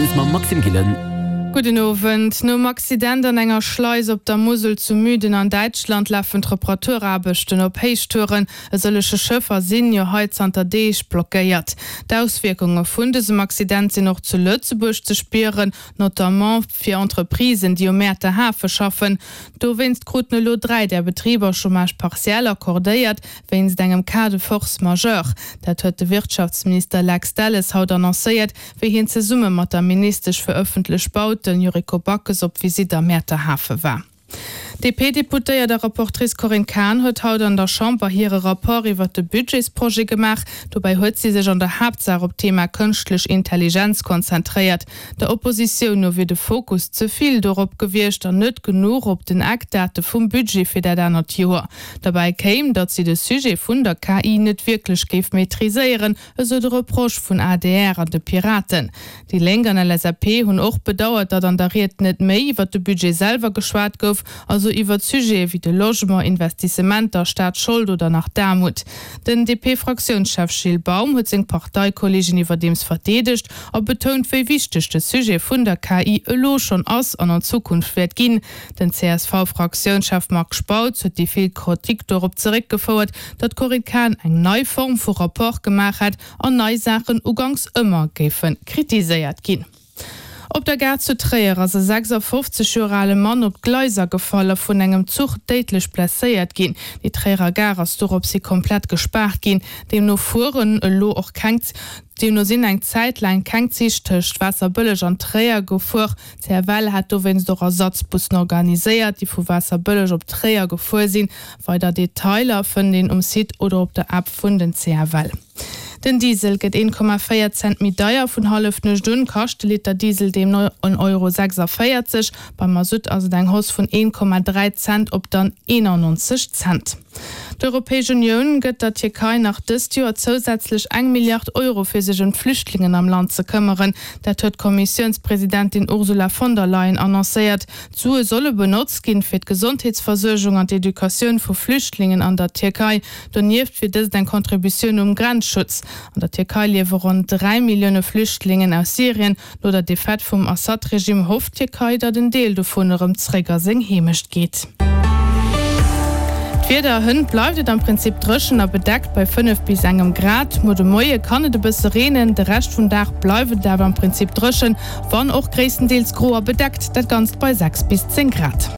Service mam Maxime Gillen. Gudden Owend. Nom Accident an enger Schleis op der Musel zu Müden an Däitschland lafen d'Reparaturaarbechten op Héichtouren. E sëllege Schëffer sinn jo hei zanter Deeg blockéiert. D'Auswierkunge vun dësem Accident sinn och zu Lëtzebuerg ze spieren, notamment fir Entreprisen, déi um Mäerter Hafe schaffen. Dowéinst kruten elo 3 där Betriber Chômage partiel accordéiert, wéinst engem Cas de force majeure. Dat huet de Wirtschaftsminister Lex Delles haut annoncéiert, wéi hien zesumme mat der Ministesch fir ëffentlech Bauten, Yuriko Backes, op Visitt am Mäerter Hafe war. D'DP-Deputéiert a Rapportrice Corinne Cahen huet haut an der Chamber hire Rapport iwwert de Budgetsprojet gemaach. Dobäi huet si sech an der Haaptsaach op d'Thema kënschtlech Intelligenz konzentréiert. Der Oppositioun no wier de Fokus ze vill dorop gewiescht an net genuch op den Eckdate vum Budget fir dat anert Joer. Derbäi kéim, datt si de Sujet vun der KI net wierklech géif maîtriséieren, esou de Reproche vun adr an de Piraten. Déi Lénk an LSAP hunn och bedauert, datt an der Ried net méi iwwer de Budget selwer geschwat gouf, also iwwert Sujete wéi de Logement, Investissementer, Staatsschold oder nach d'Aarmut. Den DP-Fraktiounschef Gilles Baum huet seng Parteikolleegen iwwerdeems verdeedegt a betount, wéi wichteg de Sujet vun der KI elo schonn ass an an Zukunft wäert ginn. Den CSV-Fraktiounschef Marc Spautz huet déi vill Kritik dorop zeréckgefouert, datt d'Corinne Cahen eng nei Form vu Rapport gemaach hätt an nei Saachen uganks ëmmer géife kritiséiert ginn. Op der Gare zu Tréier ass e 56 Joer ale Mann op d'Gleiser gefall a vun engem Zuch déidlech blesséiert ginn. Déi Tréierer Gare ass doropshi komplett gespaart ginn. Deemno fueren elo och keng Deemno sinn eng Zäit laang keng Zich tëscht Waasserbëlleg an Tréier gefuer. D'CFL hat dowéinst och Ersatzbussen organiséiert, déi vu Waasserbëlleg op Tréier gefuer sinn. Weider Detailer fënnt een um Site oder op der App vun den CFL. Den Diesel gëtt 1,4 Cent méi deier. Vun Hallefnuecht un kascht de Liter Diesel deemno 1,46 Euro. Beim Masutt ass et eng Hausse vun 1,3 Cent op dann 91 Cent. D'Europäesch Unioun gëtt der Tierkei nach dëst Joer zousätzlech eng Milliard Euro fir sech ëm d'Flüchtlingen am Land ze këmmeren. Dat huet d'Kommissiounspresidentin Ursula von der Leyen annoncéiert. D'Sue solle benotzt ginn, fir d'Gesondheetsversuergung an d'Educatioun vu Flüchtlingen an der Tierkei. Donieft wier dëst eng Contributioun um Grenzschutz. An der Tierkei liewe ronn 3 Millioune Flüchtlingen aus Syrien. No der Defaite vum Assad-Regime hofft d'Tierkei, datt en Deel dovun erëm zréck a seng Heemecht geet. D'Wieder, Hënt bleift et am Prinzip dréchen a bedeckt bei 5 bis engem Grad. Muer de Moie kann et e bësse reenen, de Rescht vum Dag bleift et awer am Prinzip dréchen, wann och gréisstendeels gro a bedeckt, dat Ganzt bei 6 bis 10 Grad.